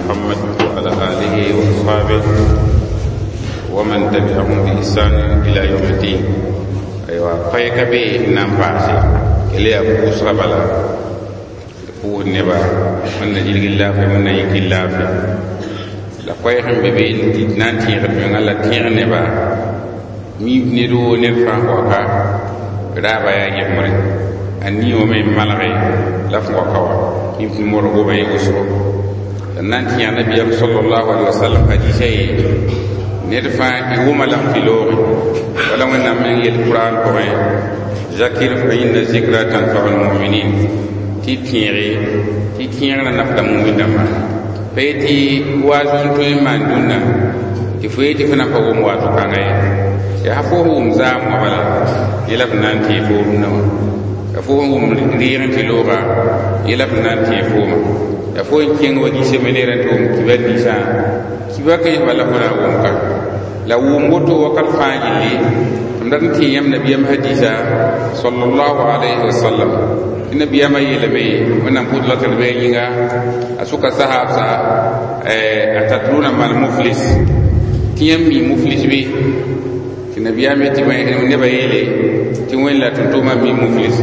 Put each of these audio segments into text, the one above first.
محمد وعلى آله وأصحابه ومن تبعهم بإحسان إلى يوم الدين. Aywa, koɛɛga be n na n paase kell yaa pʋʋsga bala d pʋʋsd neba wẽnna yilg laafɩ, wẽnna yik laafɩ la koɛɛg n be be tɩ d na n tẽegd menga la tẽeg neba miib ned woo ned fãa waka raaba yaa yembre a niowame n malge la f waka wa yĩm tɩ modg goama ye wʋsgo la n na n tẽ yaa nabiyaam sallallahu alaihi wasallam hadisa ye ned fãa y wʋma lame tɩ looge wala Wẽnnaam meng yel Kuraan pʋgẽ: zakir fa inna zikra tanfau lmuminin, tɩ tẽege tɩ tẽegrã nafda mumin dãmba. Pa ye tɩ waaz n tõe n maan dũnna tɩ fo yetɩ fo na n pa wʋm waato kãnga ye. Yaa fo sẽn wʋm zaam wã bala yẽla f na n tẽeg fo rũnnã wã, ya fo sẽn wʋm rɩɩg n tɩ looga yẽla f na n tẽeg fooma, ya fo n kẽng wa gi-seminɛɛrã tɩ wʋm kibar ninsã kiba ka yẽ bala fo na n wʋm ka la wʋm woto wakat fãa gilli. M dat n tẽ yãmb nabiyaam hadisa sallallahu alayhi wa sallam tɩ nabiyaamã yeelame Wẽnnaam pʋʋs la tɩ d bɩ a yĩnga a sʋka sahaabsa: a tatruna mal muflis? Tɩ yãmb mi muflis bɩ? Tɩ nabiyaam yetɩ nebã yeele tɩ Wẽnd la tʋm-tʋʋmã mi muflis.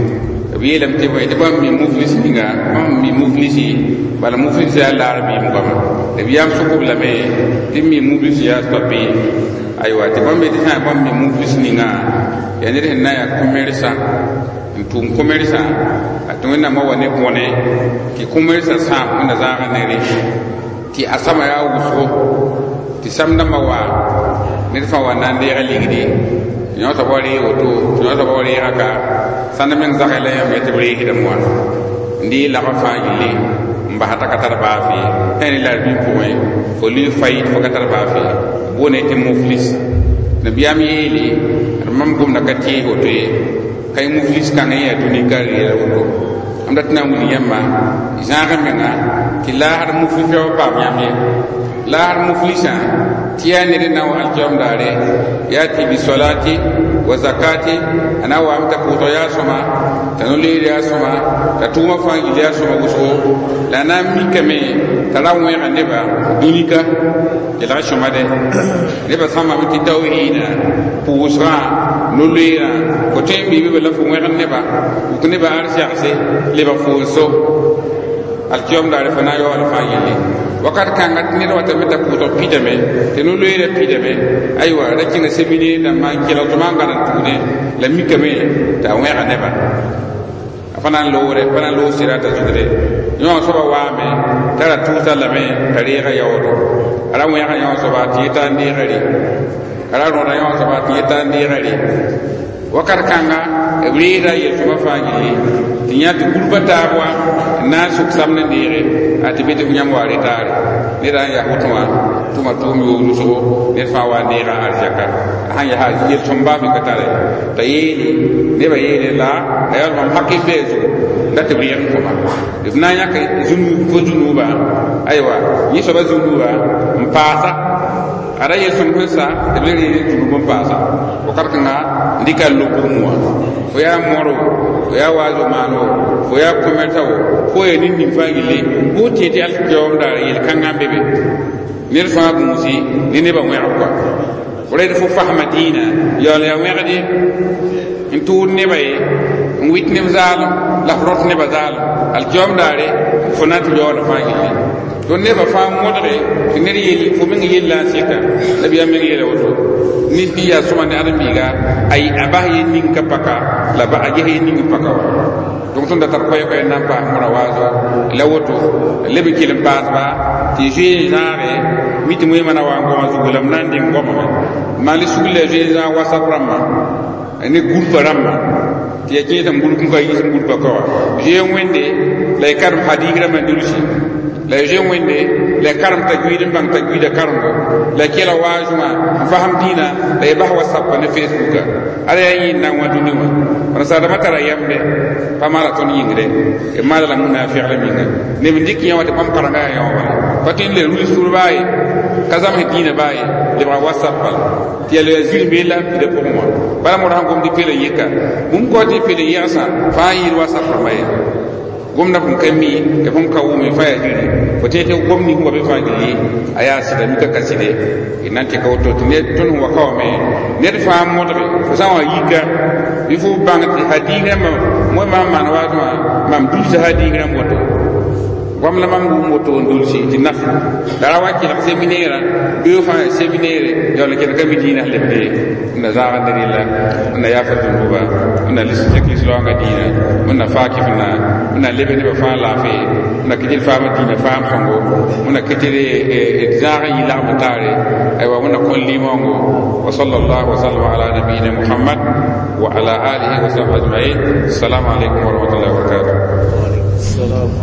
B yeelame tɩ bõe tɩ bãmb mi muflis ninga, bãmb mi muflisi bala muflis yaa laar biim goama. Nabiyaam sʋk-b lame tɩ mi muflis yaa soab. Aywa, tɩ bãmb yetɩ sã bãmb mi muflis ninga yaa ned sẽn na n yaa kõ-mersã n tʋʋm kõ-mersã a tɩ Wẽnnaamã wa ne bõne tɩ kõ-mersã sãam Wẽnna zãagã nere tɩ a sama yaa wʋsgo tɩ samdãmbã wa ned fãa wa na n deega ligdi tɩ yõ soaba wa reeg woto, tɩ yõ soaba wa reega ka sãnd meng zagɛ la yãmb tɩ b reesdame wã n dee lagf fãa gilli n basa t'a ka tar baafe sã ne la-r-bĩm pʋgẽ fo lʋɩ fayit fo ka tar baafe boone tɩ muflis. Nabiyaam yeele d mam gomda ka tees woto ye ka y muflis kãngã yaa dũni ka reela woto. M dat na n wilg yãmba zãag menga tɩ laasd muflis wa paam yãmb ye laasd muflisã tɩ yaa ned n na n wa alkiyoom daare yati bi solati wa zakati, a na n waame t'a pʋʋsg yaa sõma, t'a no-leer yaa sõma, t'a tʋʋmã fãa gil yaa sõma wʋsgo, la a na n mikame t'a ra wẽega neba dũnika kelg sõma dɛ. Nebã sãmbame tɩ tawhiidã, pʋʋsgã, no-loeerã fo tõe n biibe la fo wẽgd neba wʋk neba arsɛgse lebg fo n so alkiyom daare fo na n yaool fãa yelle wakat kãnga tɩ ned watame t'a pʋʋsg pidame tɩ no-loeerã pidame. Aywa, ra kẽnga seminɛɛr dãmbã n kelg tɩ maan gãd n tʋʋdẽ la mikame t'a wẽega neba a fa na n loogre pa na n loog sɩra t'a zugde yõ soaba waame t'a ra tʋʋsa lame t'a reega yaoodo a ra wẽega yõ soaba tɩ yeta n deega re a ra rõda yõ soaba tɩ yeta n deega re wakat kãnga b reeda yel-sõma fãa gilli tɩ yã tɩ gũrba taab wã n na n sʋk samd n deege a tɩ be tɩ f yãmb wa retaare ned a n yaa woto wã tʋma tʋʋm yoog wʋsgo ned fãa wa n deega arzɛka a sãn yaa yel-sõm baa me ka tare t'a yeele nebã yeele la a yaa mam hakɩ bɩ a zugu la tɩ b rɩɩg n kõma b na n yãk fo zũnuuba. Aywa, yẽ soaba zũnuuba n paasa a ra yel-sõm sẽn sa tɩ b le rɩ zũnub n paasa wakat kãnga n dɩka n lob bugum wã. Fo yaa moro, fo yaa waazo maano, fo yaa commerça wo, fo yaa nin-ning fãa gilli fo tẽ tɩ alkiyaoom daar yel-kãngã n be be ned fãa gũusi ne nebã wẽgb kɔa fo ra fo fasma dĩinã yaool yaa wẽgde n tʋʋd neba ye n wɩt neb zaalem la f rõt nebã zaalem alkiyaoom daare fo na n tɩ yaooda fãa gilli to nebã fãa modge tɩ ned yel fo meng yella n sɩka nabiyaam meng yeela woto ned bɩ yaa sõma ne ãdem-biiga a bas ye ning ka paka la a ges ye ning paka wa. Donc tõnd da tar koɛɛ-koɛɛ n na n paas mora waazo la woto leb n kell n paasba tɩ zoe zãage mi tɩ moẽmã na wa n goma zugu la m na n deng gomame maan sugl la zoe zãag WhatsApp rãmbã ne gũrpã rãmbã tɩ ya kẽes n gũrp n ka yiis n gũrpã ka wa zoe Wẽnde la y karem hadis rãmbã dulsi la y zoe Wẽnde la y karem tajwid n bãng tajwida karembo la y kela waazẽ wã n fasem dĩinã la y bas WhatsApp ne Facebooka ala yaa yẽnd na n wã dũni wã rãnsaadãmã tara yɛmde pa maala tõnd yĩngre b maala la munafɩgla minga neb n dɩk yã wã tɩ bãmb karengã yaa yã wã bala pa tõe n le ruls tʋr baa ye ka zãmsd dĩinã baa ye lebga WhatsApp bala tɩ yaa la zĩr bee la n pida pʋgẽ wã bala modg sẽn gom tɩ pel n yɩka bũmb kao tɩ pel n yɛgsã fãa yɩɩd WhatsApp rãmba ye. Gomdã fõn ka mi, ya fõn ka wʋme fãa yaa zĩri fo tẽ tɩ gom ning wa be fãa gilli a yaa sɩda mika ka sɩde d na n tɩka woto tɩ ned tõnd sẽn wa ka wame ned fãa modge fo sã n wa yika bɩ fo bãng tɩ hadiis rãmbã moe maam maan waatẽ wã mam dulsa hadiis rãmb woto goam la mam wʋm woto n dulsi tɩ naf la ra wa kelg seminɛɛrã bee fãa yaa seminɛɛre yaool n kẽnd ka mi dĩinã sẽn lebde n na zãag ne rɩla n na yaafr dũnduba n na zẽk lislaoongã dĩinã n na faag kɩf-na n na lebe nebã fãa laafɩ n na kɩ tɩ d faama dĩinã faam sõngo n na kɩ tɩ d zãag n yɩ lagm taare aywa wẽnna kõ limoongo wa sallallahu wa sallam ala nabiyina muhammad wa ala alihi wa sahbihi ajma'in. Assalamu alaikum wa rahmatullahi wa barakatuh. السلام.